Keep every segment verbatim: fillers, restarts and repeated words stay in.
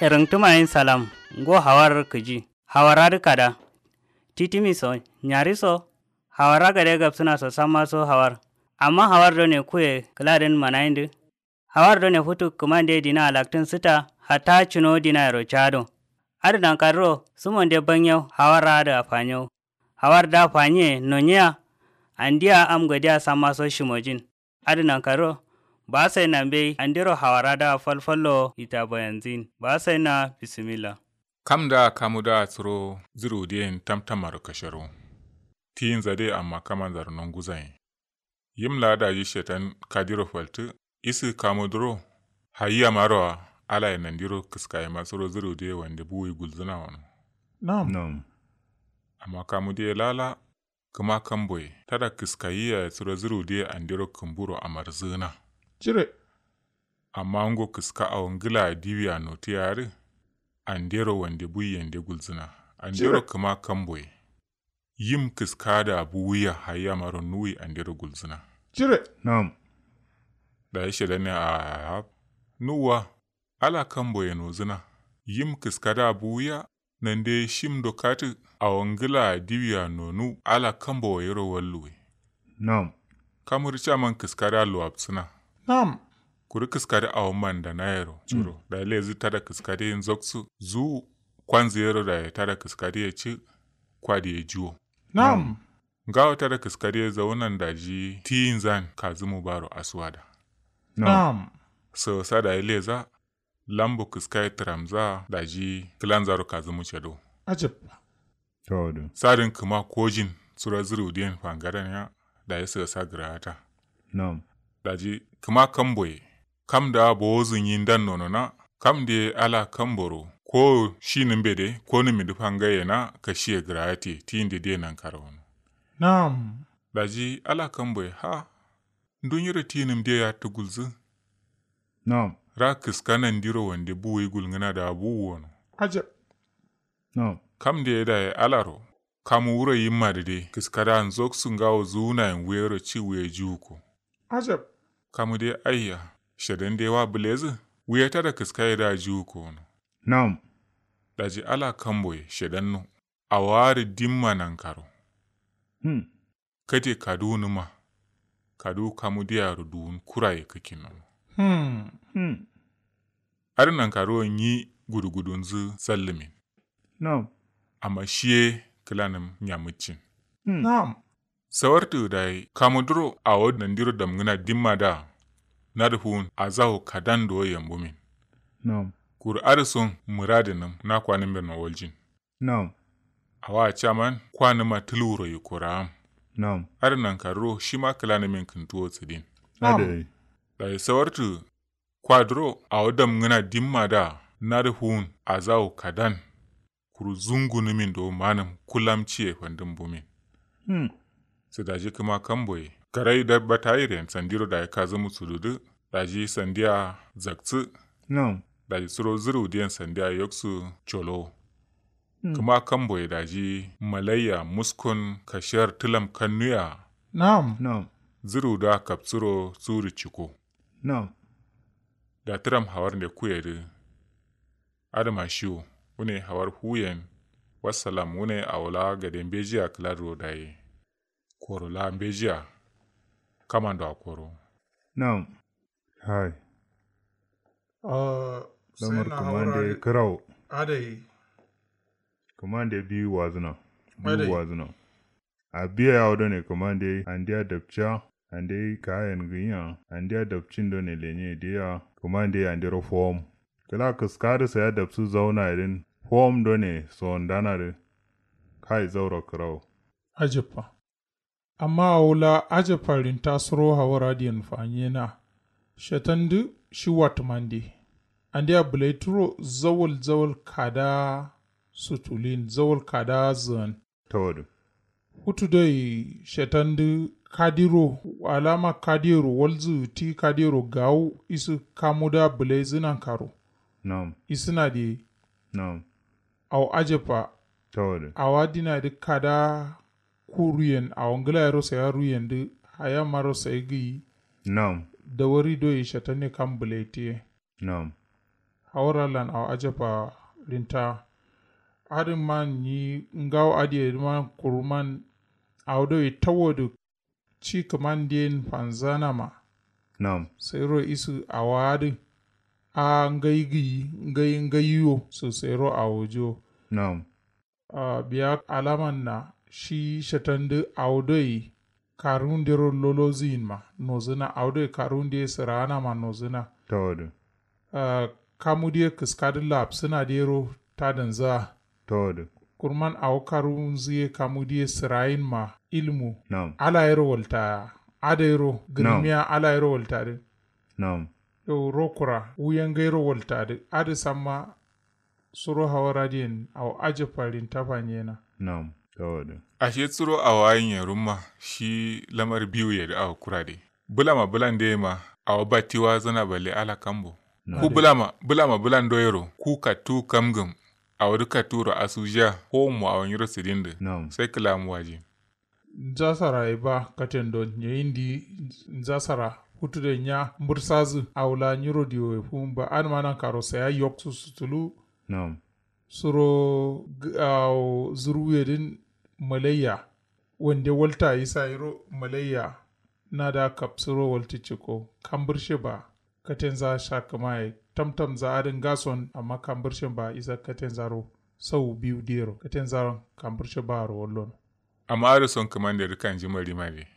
Rǝngtǝma yen salam. Ngo hawar kǝji. Hawar adǝ kada. Titimi so nyari so. Hawar agade gabsǝna so samma so hawar. Amma hawar done kuye kǝladǝn manayindǝ. Hawar done futu kǝmande dina alaktǝn sǝta. Hatta cǝno dinayero cado. Adǝ nankadǝro sǝmonde banyau hawar adǝ afanyo. Hawar da fanyiye nonyiya. Andiya am gadiya samma so shimojin. Adǝ nankaro. Ba sai na mbei andiro hawara da falfallo ita bayanzin ba sai na bisimilla. Kam da kamu da suro zǝru diyen tamtamaro kasharo. Tiyinza de amma kamanzaro nonguzayin. Yim la daji shetan kadiro faltǝ. Isǝ kamu duro. Hayya maro a alaye nandiro kǝskaye ma suro zǝru diye wande buwi gulzǝna wano. Nam. Nam. Amma kamu diye lala. Kǝma kamboye tada kǝskayi yaye suro zǝru diye andero kǝmburo amarzǝgǝna. Cire. Amma ngo kǝska awo ngǝla diwiya notiya adǝ. Andero wande buyi yande gulzǝna. Andero kǝma kamboye. Yim kǝska da buwiya hayya maro nuwi andero gulzǝna. Cire. Nam. Dayi shedane a nuwa. Ala kamboye nozǝna. Yim kǝskada buwiya. Nande shim do katǝ. Awo ngǝla diwiya nonu ala kamboyero walluwe. Nam. Kamur caman kǝskada luwapsǝna. Nam. Kuru kǝskada awo mandanayero curo dayi lezǝ tada kǝskade nzoksǝ. Zuwu. Kwanzǝ yero dayi tada kǝskade ye cǝ. Kwadiye juwo. Nam. Ngawo tada kǝskade ye zaunan daji tiyinzan kazǝmu baro asuwada. Nam. Sawasa dayi leza. Lambo kǝskaye tǝramza daji kǝlanzaro kazǝmu cado. Ajab. Tawadu. Sadǝn kǝma kojin suro zǝru diyen fangadan ya. Dayi sawasa gǝrawata. Nam. Daji kǝma kamboye. Kam da bowozǝ nyi ndan nonona. Kam de ala kamboro ko shi nǝmbe de ko nǝmindǝ fangaye na kashiye gǝrawate tiyinde de nankaro wono. Nam. Daji ala kamboye ha. Ndunyiro tinǝm diye yattǝ gulzǝ. Nam. Ra kǝska nandiro wande buwuyi gulngǝna da buwu wono. Ajab. Nam. Kam diye daye alaro. Kamu wuro yimma dǝ de kǝskada nzoksǝ ngawo zuwunayen wuyero ci wuye juwuko. Ajab. Kamu de aiya. Shedan de wa bǝlezǝ. Wuye tada kǝskaye da juwuko wono. Nam. Daji ala kamboye shedanno. Awo adǝ dimma nankaro. Hmm. Kate kaduwu nǝma. Kaduwu kamu diyaro duwun kuraye kǝkkin nono. Hmm. Hmm. Adǝ nankaruwo nyi gudugudunzǝ sallǝmin. Nam. Amma shiye kǝlanǝm nyamǝccin. Hmm. Nam. Sawartǝ dayi kamu duro awo nandiro damngǝna dimma da. Nadǝ fuwun azawu kadan do yambumin. Nam. Kuru adǝ son mǝradǝnǝm na kwanǝmbe no waljin. Nam. Awa caman kwanǝma tǝlwuro yikkoraam. Nam. Adǝ nankaruro shima kǝlanǝmin kǝntuwo sǝdin. Nam. Adai. Dayi sawartǝ. Kwaduro awo damngǝna dimma da. Nadǝ fuwun azawu kadan. Kuru zungunǝmin do manǝm kulamciye fandǝm bumin. Hmm. Sǝ daji kǝma kamboye garai dabba tayiren sandiro dayi kazǝmu sududǝ. Daji sandiya zaksǝ. Nam. Daji suro zǝru diyen sandiya yoksǝ colo. Hmm. Kǝma kamboye daji malaiya muskun kashiyar tǝlam kannuya. Nam. Nam. Zǝru da kapsuro suru ciko. Nam. Da tǝram hawar nde kuyedǝ. Adǝma shiwo wune hawar fuyen. Wassalam wune awo la gade mbejiya kǝladǝro dayi. Koro la mbejiya. Kamando akoro. Nam. Hai. Lamar kǝmande kǝrawo. Adai. Kǝmande biyu wazǝna. Biyu wazǝna. Abiye awo done kǝmande andeya dapciya. Ande kayen gǝnyiya andeya dapcin done lenye diya. Kǝmande andero fowom. Kǝla kǝskadǝ saya dapsǝ zauna yedǝn fowom done sondanadǝ. Kai zauro kǝrawo. Ajabba. Amma awo la ajabba rinta suro hawar adiyen fanyena. Shetandǝ shi watǝmande. Andeya bǝlaituro zawal zawal kada. Sutulin zawal kada zǝan. Tawadǝ. Futu doi shetandǝ kadiro alama kadiyero walzǝ ti kadiyero gawu isǝ kamuda bǝlaizǝ nankaro. Nam. Isǝna diye. Nam. Awo ajabba. Tawadǝ. Awa dinadǝ kada. Ku ruyen awo ngǝlayero saya ruyendǝ. Hayamaro sayi gǝyi. Nam. Dawari doi shetanne kam bǝlaitiye. Nam. Hawar allan awo ajabba rinta. Adǝ man nyi ngawo adǝ ye dǝ man kuru man awo doi tawo dǝ ci kǝman diyen fanzana ma. Nam. Sairo isǝ awo adǝ a ngai gǝyi ngai ngai wo sǝ sairo awo jiwo. Nam. Biya alaman na shi shatandǝ awo doi karundero lolozǝ yin ma nozǝna awo doi karunde sǝraana ma nozǝna. Tawo dǝ. Kamu diye kǝskadǝ lapsǝna dero tadanza. Tawo dǝ. Kurman awo karunzǝ ye kamu diye sǝrayin ma ilmu. Nam. Ala yero walta ada yero gǝrmiya ala yero walta dǝ. Nam. Yau rokura wuyen gairo walta dǝ adǝ samma. Suro hawar adiyen awo ajabba rinta fanyena. Nam. Tawo dǝ. Ashe suro awo ayin ye rumma shi lamar biwu ye dǝ awo kura dǝ. Bǝlama bǝlande ma awo batti wazǝna balle ala kambo. Ku bǝlama bǝlama bǝlando yero ku kattu kamgǝm. Awo dǝ katturo asujiya howonmu awo nyiro sǝdin dǝ. Nam. Sai kǝlamu wajin. Nza saraye ba katen don nyeyi ndi. Nza sara futu doi nya mbǝrsazǝ awo la nyiro diwo ye fuwun ba adǝma nankaro saya yoksu sutulu. Nam. Suro awo zurwuye dǝn malayya. Wande walta isa yiro malayya. Nada kapsuro waltǝ ciko kambǝrshe ba. Katenza sha kǝmaye tamtamza adǝ ngason amma kambǝrshen ba isa katenzaro. Sau biyu diyero katenzaro kambǝrshe baro wallono. Amma adǝ son kǝmande dǝ kanji marima de.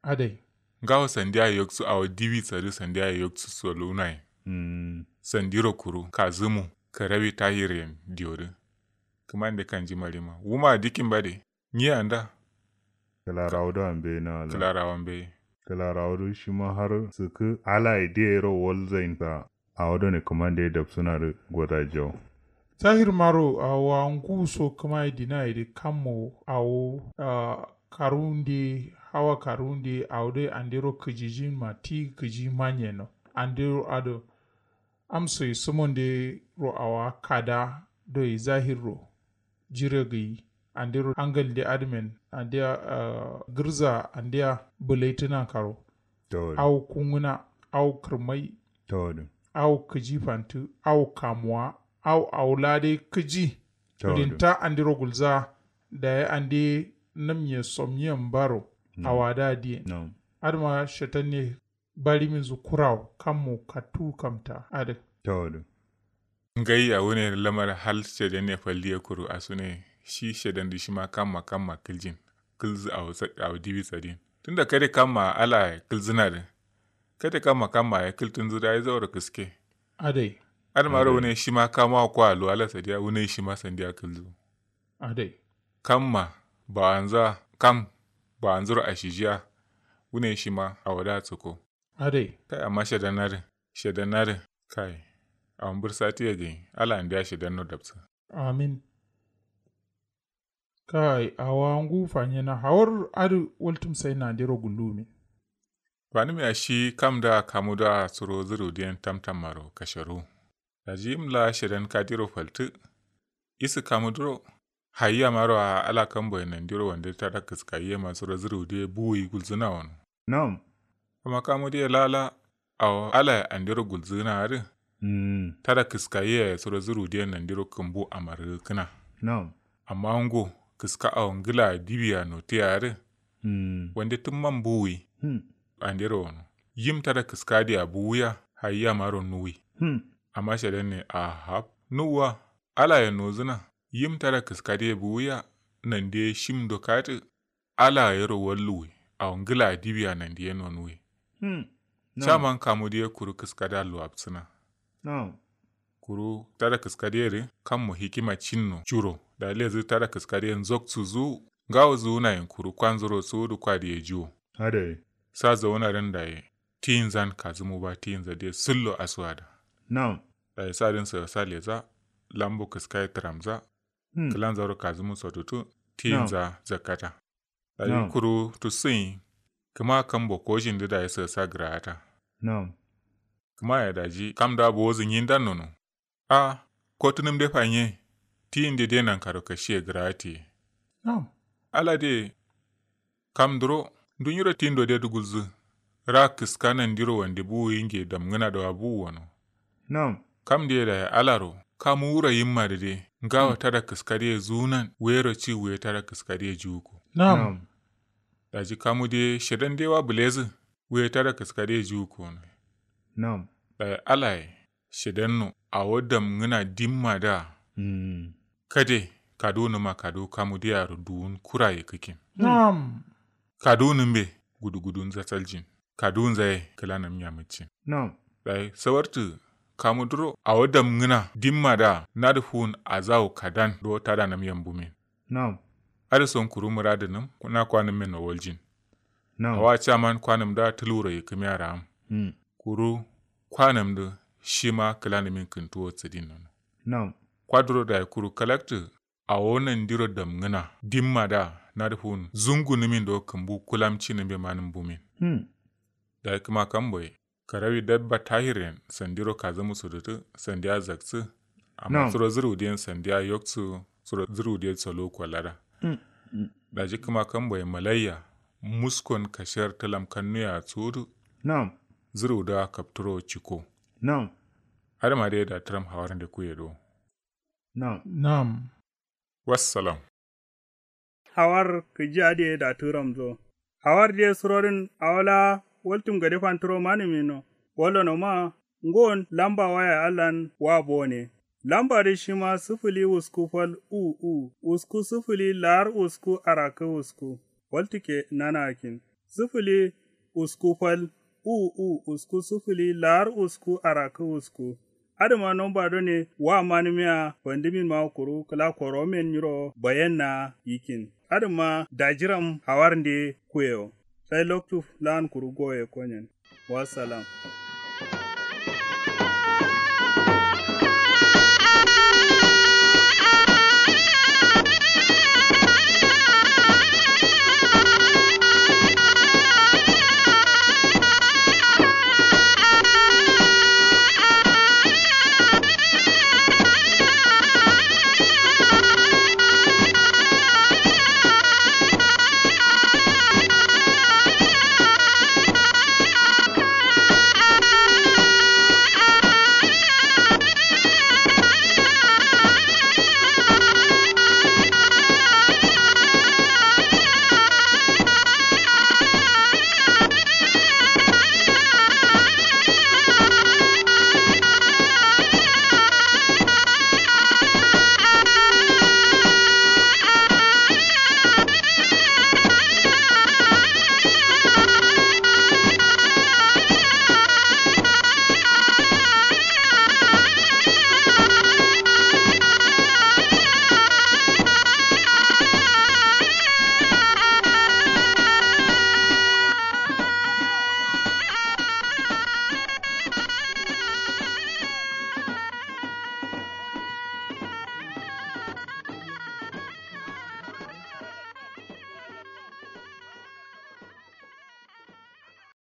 Adai. Ngawo sandiya yoksu awo diwi sadǝ sandiya yoksu solunaye. Sandiro kuru kazǝmu karawi tahir yen diyo dǝ. Kǝmande kanji marima wuma dikkin ba de. Nyi anda. Kǝlarawo do ambe na ala kǝlarawo mbe. Kǝlarawo do shima har sǝkǝ alaye diyero walzain sa. Awo done kǝmande dabsǝna dǝ goda jau. Tahir maro awo angu so kǝmaye dinaye dǝ kammo awo. Karunde hawa karunde awo doi andero kǝjijin ma ti kǝji manyeno. Andero adǝ amsoyi sǝmondero awa kada doi zahirro. Jire gǝyi andero hangalnde adǝmen andeya. Gǝrza andeya bǝlaitǝ nankaro. Awo kungǝna awo kǝrmai. Awo kǝji fantǝ awo kamuwa. Awo awo la dai kǝji. Rinta andero gulza. Dayi ande namnye somnyen baro. Awa da diyen. Adǝma shetanne. Bariminzu kurawo kammo kattu kamta adǝ. Tawo dǝ. Ngaiya wune lamar hal shedanne faldiye kuru asune shi shedandǝ shima kamma kamma kǝljin. Kǝlzǝ awo diwi sadin tunda kade kamma alaye kǝlzǝna dǝ. Kade kamma kamma ye kǝltǝnzǝ dayi zauro kǝske. Adai. Adǝmaro wune shima kamawo kwa luwala sadiya wune shima sandiya kǝlzǝ. Adai. Kamma bawanza kam bawanzuro ashijiya. Wune shima awo da tsǝko. Adai. Kai amma shedan adǝ. Shedan adǝ. Kai. Awo mbǝrsatǝ ye gǝnyi ala andeya shedanno dabsǝ. Amin. Kai awa ngu fanyena hawar adǝ. Waltǝm sai nandero gullumin. Fanǝmiya shi kam da kamu da suro zǝrudiyen tamtammaro kasharu. Daji yim la shedan kadiro faltǝ. Isǝ kamu duro. Hayi amaro a ala kamboye nandiro wande tada kǝskayi ye ma suro zǝrudiye buwuyi gulzǝna wono. Nam. Amma kamu diye lala. Awo alaye andero gulzǝna adǝ. Tada kǝskayi yaye suro zǝrudiye nandiro kǝmbu amargǝkkǝna. Nam. Amma ngo kǝska awo ngǝla diwiya notiya adǝ. Wande tǝmman buwuyi. Andero wono. Yim tada kǝska diya buwuya hayi amaro nuwi. Amma shedanne ahab nuwwa. Alaye nozǝna. Yim tada kǝska diye buwuya. Nandiye shim ndo katǝ. Ala yero walluwi. Awo ngǝla diwiya nandiye nonuwi. Chaman kamu diye kuru kǝska da luwabsǝna. Kuru tada kǝska diye dǝ kammo hikima cinno curo da lezǝ tada kǝska diye nzoksu zu. Ngawo zuwunayin kuru kwanzuro suwudu kwa diye jiwo. Adai. Sa zawuna dǝn daye. Tiyinzan kazǝmu ba tiyinza diye sǝllo asuwa da. Nam. Daye sa dǝn sǝ sa leza. Lambo kǝska ye tǝramza. Kǝlanzaro kazǝmu sotutu. Tiyinza zakkata. Daji kuru tussǝnyi. Kǝma kambo koshin dǝ dayi sǝsa gǝra'ata. Nam. Kǝma ye daji kam da bowozǝ nyindan nono. A kotǝnǝm de fanye. Tiyin de de nankaro kashiye gǝra'atiye. Nam. Ala de. Kam duro ndunyiro tindo de dǝ gulzǝ. Ra kǝska nandiro wande buwu yinge damngǝna do wa buwu wono. Nam. Kam diye dayi alaro kamu wuro yimma dǝ de ngawo tada kǝskadiye zuwunan wuyero ci wuye tada kǝskadiye juwuko. Nam. Daji kamu diye shedan de wa bǝlezǝ wuye tada kǝskadiye juwuko. Nam. Dayi alaye shedanno awo damngǝna dimma da. Kade kaduwunǝma kaduwu kamu diyaro duwun kuraye kǝkin. Nam. Kaduwunǝmbe gudugudun zasaljin. Kaduwunzaye kǝlanǝm nyamǝccin. Nam. Dayi sawartǝ kamu duro awo damngǝna dimma da nadǝ fuwun azawu kadan do tadanǝm yambumin. Nam. Adǝ son kuru mǝradǝnǝm na kwanǝmmen no waljin. Nam. Awa caman kwanǝm da tǝlwuro yikkǝmiya ra'am. Kuru kwanǝm dǝ shima kǝlanǝmin kǝntuwo sǝdin nono. Nam. Kwaduro dayi kuru kalaktǝ awo nandiro damngǝna dimma da nadǝ fuwun zungunǝmin do kǝmbu kulamcinǝmbe manǝm bumin. Dayi kǝma kamboye karawi dabba tahiren sandiro kazamu sudutǝ sandiya zaksǝ. Amma suro zǝrudiyen sandiya yoksǝ suro zǝrudiyen solo kwalada. Daji kǝma kamboye malayya muskon kashiyar tǝlam kannuya sudu. Nam. Zǝrudiya kapturo ciko. Nam. Adǝma dai da tǝram hawarnde kuye do. Nam. Nam. Wassalam. Hawar kǝji adǝ ye da tǝramzo. Hawar diye surodǝn awo la waltǝm gade fantǝro manǝmino. Wallono ma ngon lamba waya allan wa bone. Lamba dǝ shima sǝfǝli usku fal u u usku sǝfǝli lar usku arakkǝ usku. Waltǝ ke nana akin. Sǝfǝli usku fal u u usku sǝfǝli lar usku arakkǝ usku. Adǝma nomba done wa manǝmiya fandǝmin ma kuru kǝla koromen nyiro bayenna yikin. Adǝma dajiram hawarnde kuyewo. Sai loktu lan kuru goye konyen. Wassalam.